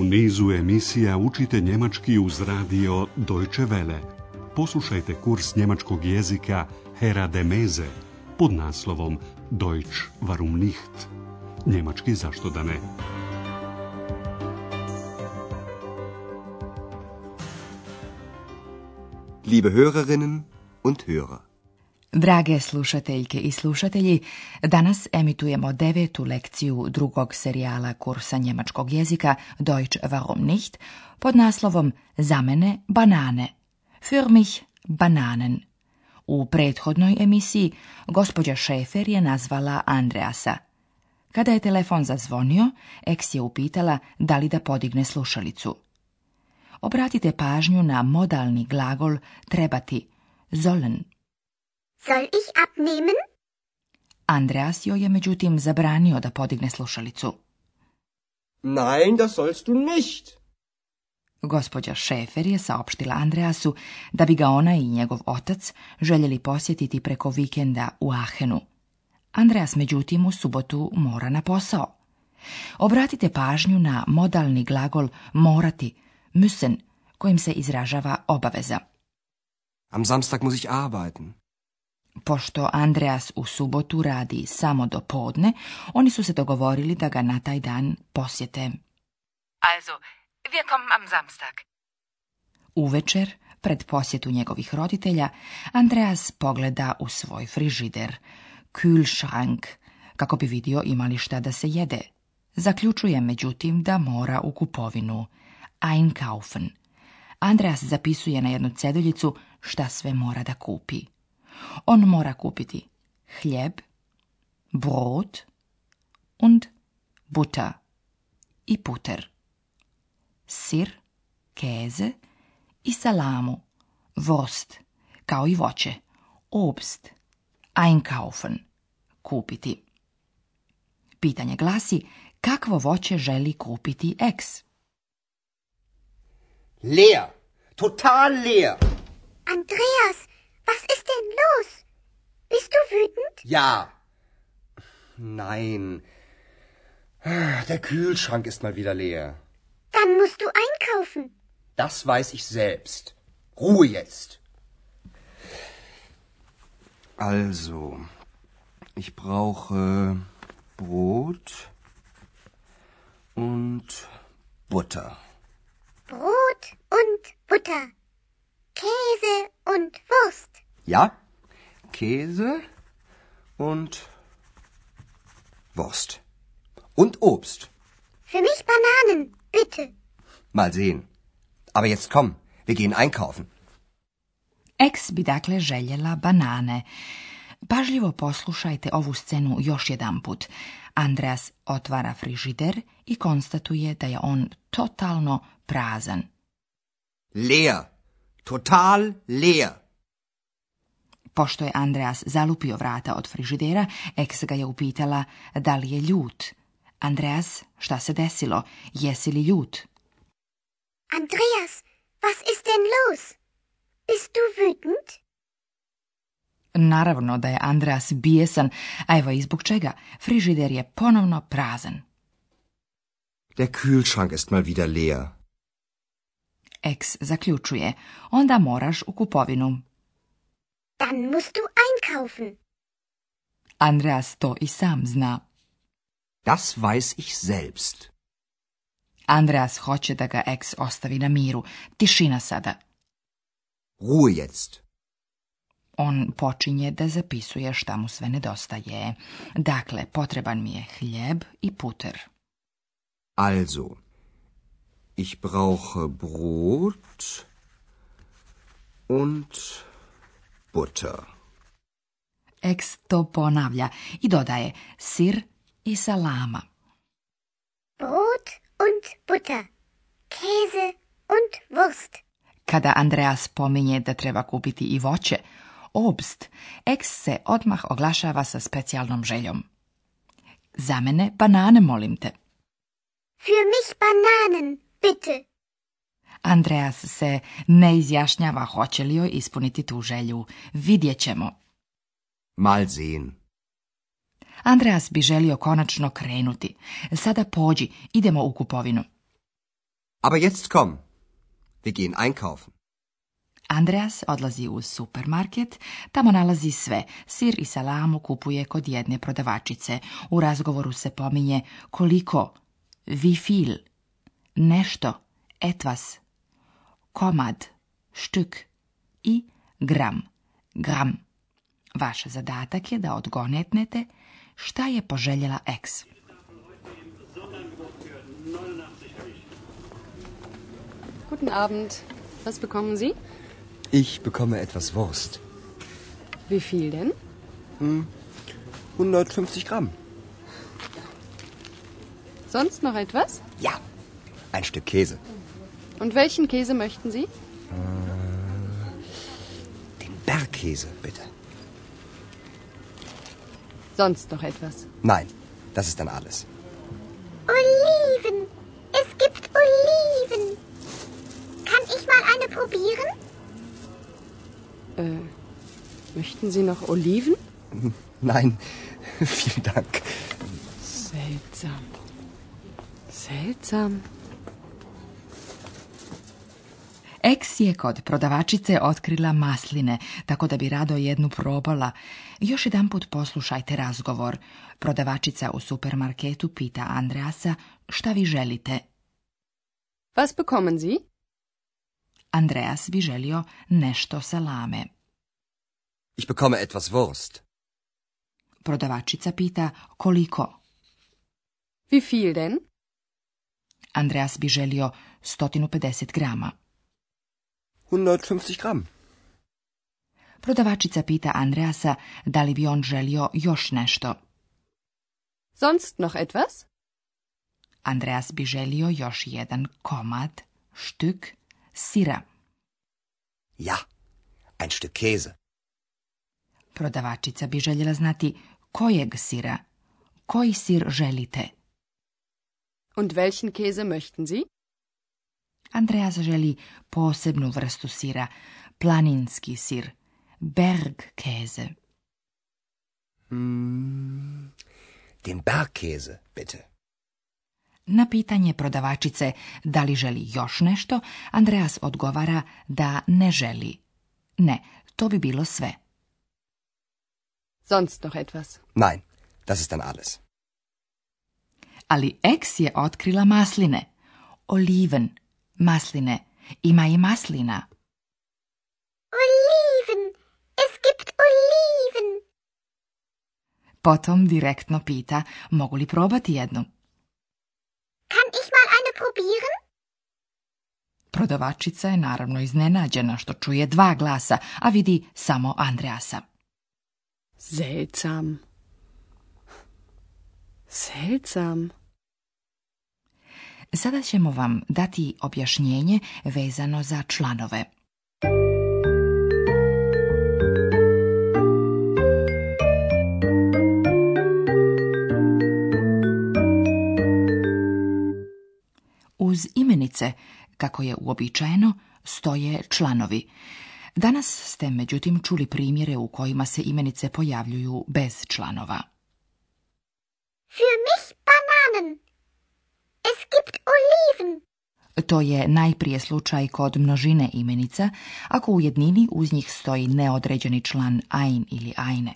nizu emisija učite njemački uz radio Deutsche Welle. Poslušajte kurs njemačkog jezika Hera de Meze pod naslovom Deutsch warum nicht? Njemački zašto da ne? Liebe Hörerinnen und Hörer. Drage slušateljke i slušatelji, danas emitujemo 9. lekciju drugog serijala kursa njemačkog jezika Deutsch warum nicht pod naslovom Za mene banane. Für mich Bananen. U prethodnoj emisiji gospođa Schäfer je nazvala Andreasa. Kada je telefon zazvonio, Ex je upitala da li da podigne slušalicu. Obratite pažnju na modalni glagol trebati, sollen. Soll ich abnehmen? Andreas joj je međutim zabranio da podigne slušalicu. Nein, das sollst du nicht. Gospođa Schäfer je saopštila Andreasu da bi ga ona i njegov otac željeli posjetiti preko vikenda u Aachenu. Andreas međutim u subotu mora na posao. Obratite pažnju na modalni glagol morati, müssen, kojim se izražava obaveza. Am Samstag muss ich arbeiten. Pošto Andreas u subotu radi samo do podne, oni su se dogovorili da ga na taj dan posjete. Also, wir kommen am Samstag. Uvečer, pred posjetu njegovih roditelja, Andreas pogleda u svoj frižider, Kühlschrank, kako bi vidio ima li šta da se jede. Zaključuje međutim da mora u kupovinu, einkaufen. Andreas zapisuje na jednu ceduljicu šta sve mora da kupi. On mora kupiti hljeb, brot und Butter i puter, sir, keze i salamu, wurst, kao i voće, obst, einkaufen, kupiti. Pitanje glasi, kakvo voće želi kupiti Ex? Leer. Total leer. Andreas, was ist denn los? Bist du wütend? Ja. Nein. Der Kühlschrank ist mal wieder leer. Dann musst du einkaufen. Das weiß ich selbst. Ruhe jetzt. Also, ich brauche Brot und Butter. Brot und Butter. Käse und Wurst. Ja, Käse und Wurst. Und Obst. Für mich Bananen, bitte. Mal sehen. Aber jetzt komm, wir gehen einkaufen. Ex bi dakle željela banane. Pažljivo poslušajte ovu scenu još jedanput. Andreas otvara frižider i konstatuje da je on totalno prazan. Leer. Total leer. Pošto je Andreas zalupio vrata od frižidera, Ex ga je upitala da li je ljut. Andreas, šta se desilo? Jesi li ljut? Andreas, was ist denn los? Bist du wütend? Naravno da je Andreas bijesan, a evo i zbog čega. Frižider je ponovno prazan. Der Kühlschrank ist mal wieder leer. Ex zaključuje, onda moraš u kupovinu. Dann musst du einkaufen. Andreas to i sam zna. Das weiß ich selbst. Andreas hoće da ga Ex ostavi na miru. Tišina sada. Ruhe jetzt. On počinje da zapisuje šta mu sve nedostaje. Dakle, potreban mi je hljeb i puter. Also, ich brauche Brot und Butter. Ex to ponavlja i dodaje sir i salama. Brot und Butter. Käse und Wurst. Kada Andreas pominje da treba kupiti i voće, obst, Ex se odmah oglašava sa specijalnom željom. Za mene banane, molim te. Für mich Bananen, bitte. Andreas se ne izjašnjava hoće li joj ispuniti tu želju. Vidjet ćemo. Mal sehen. Andreas bi želio konačno krenuti. Sada pođi, idemo u kupovinu. Aber jetzt komm. Wir gehen einkaufen. Andreas odlazi u supermarket, tamo nalazi sve. Sir i salamu kupuje kod jedne prodavačice. U razgovoru se pominje koliko, wie viel, nešto, etwas, komad, stück i gram, gram. Vaš zadatak je da odgonetnete šta je poželjela ex. Guten Abend. Was bekommen Sie? Ich bekomme etwas Wurst. Wie viel denn? 150 Gramm. Sonst noch etwas? Ja, ein Stück Käse. Und welchen Käse möchten Sie? Den Bergkäse, bitte. Sonst noch etwas? Nein, das ist dann alles. Oliven. Es gibt Oliven. Kann ich mal eine probieren? Möchten Sie noch Oliven? Nein, vielen Dank. Seltsam. Seltsam. Ex je kod prodavačice otkrila masline, tako da bi rado jednu probala. Još jedanput poslušajte razgovor. Prodavačica u supermarketu pita Andreasa šta vi želite. Was bekommen Sie? Andreas bi želio nešto salame. Ich bekomme etwas Wurst. Prodavačica pita koliko. Wie viel denn? Andreas bi želio 150 grama. 150 Gramm. Prodavačica pita Andreasa da li bi on želio još nešto. Sonst noch etwas? Andreas bi želio još jedan komad, stück, sira. Ja, ein Stück Käse. Prodavačica bi željela znati kojeg sira, koji sir želite. Und welchen Käse möchten Sie? Andreas želi posebnu vrstu sira, planinski sir, Bergkäse. Den Bergkäse, bitte. Na pitanje prodavačice da li želi još nešto, Andreas odgovara da ne želi. Ne, to bi bilo sve. Sonst noch etwas? Nein, das ist dann alles. Ali ex je otkrila masline. Oliven, masline, ima i maslina. Oliven. Es gibt Oliven. Potom direktno pita mogu li probati jednu. Kann ich mal eine probieren? Prodavačica je naravno iznenađena što čuje dva glasa, a vidi samo Andreasa. Seltsam. Seltsam. Sada ćemo vam dati objašnjenje vezano za članove. Uz imenice, kako je uobičajeno, stoje članovi. Danas ste međutim čuli primjere u kojima se imenice pojavljuju bez članova. Für mich Bananen. Es gibt Oliven. To je najprije slučaj kod množine imenica, ako u jednini uz njih stoji neodređeni član ein ili eine.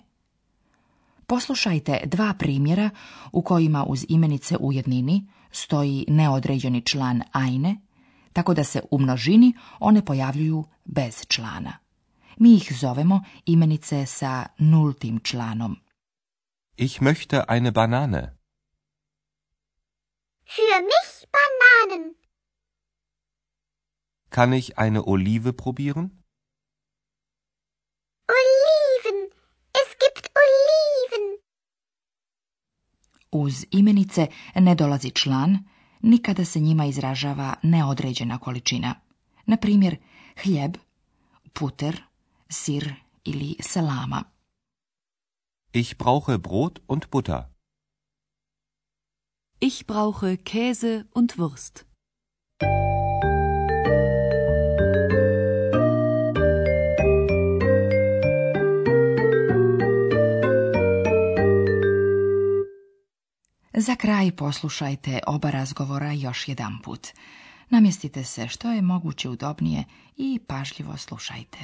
Poslušajte dva primjera u kojima uz imenice u jednini stoji neodređeni član eine, tako da se u množini one pojavljuju bez člana. Mi ih zovemo imenice sa nultim članom. Ich möchte eine Banane. Für mich Bananen. Kann ich eine Olive probieren? Oliven. Es gibt Oliven. Uz imenice ne dolazi član, nikada se njima izražava neodređena količina. Na primjer, hljeb, puter, sir ili salama. Ich brauche Brot und Butter. Ich brauche Käse und Wurst. Za kraj poslušajte oba razgovora još jedanput. Namjestite se što je moguće udobnije i pažljivo slušajte.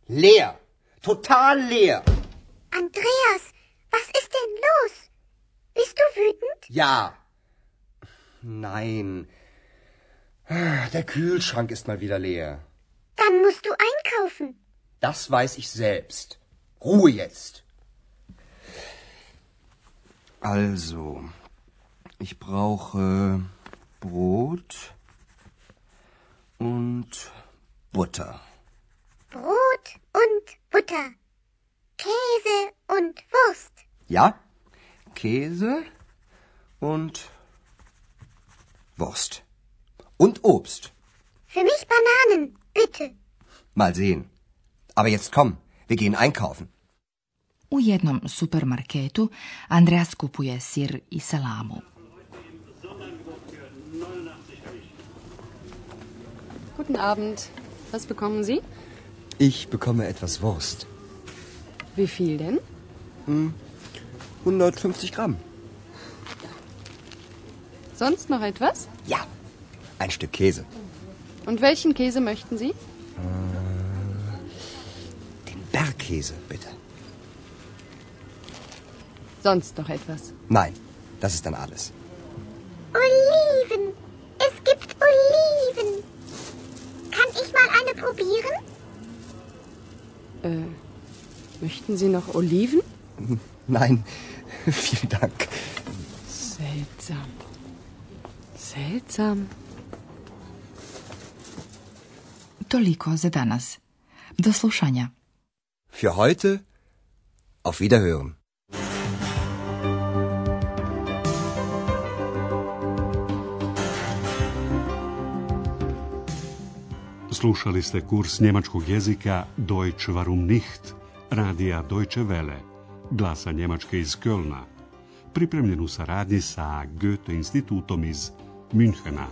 Leer. Total leer. Andreas, was ist denn los? Bist du wütend? Ja. Nein. Der Kühlschrank ist mal wieder leer. Dann musst du einkaufen. Das weiß ich selbst. Ruhe jetzt. Also, ich brauche Brot und Butter. Brot und Butter. Käse und Wurst. Ja? Käse und Wurst. Und Obst. Für mich Bananen, bitte. Mal sehen. Aber jetzt komm, wir gehen einkaufen. U jednom supermarketu Andreas kupuje sir i salamu. Guten Abend. Was bekommen Sie? Ich bekomme etwas Wurst. Wie viel denn? 150 Gramm. Sonst noch etwas? Ja, ein Stück Käse. Und welchen Käse möchten Sie? Den Bergkäse, bitte. Sonst noch etwas? Nein, das ist dann alles. Oliven. Es gibt Oliven. Kann ich mal eine probieren? Möchten Sie noch Oliven? Nein, vielen Dank. Seltsam. Seltsam. Toliko za danas. Do slušanja. Für heute, auf Wiederhören. Slušali ste kurs njemačkog jezika Deutsch warum nicht, radija Deutsche Welle, glasa Njemačke iz Kölna, pripremljen u saradnji sa Goethe institutom iz Münchena.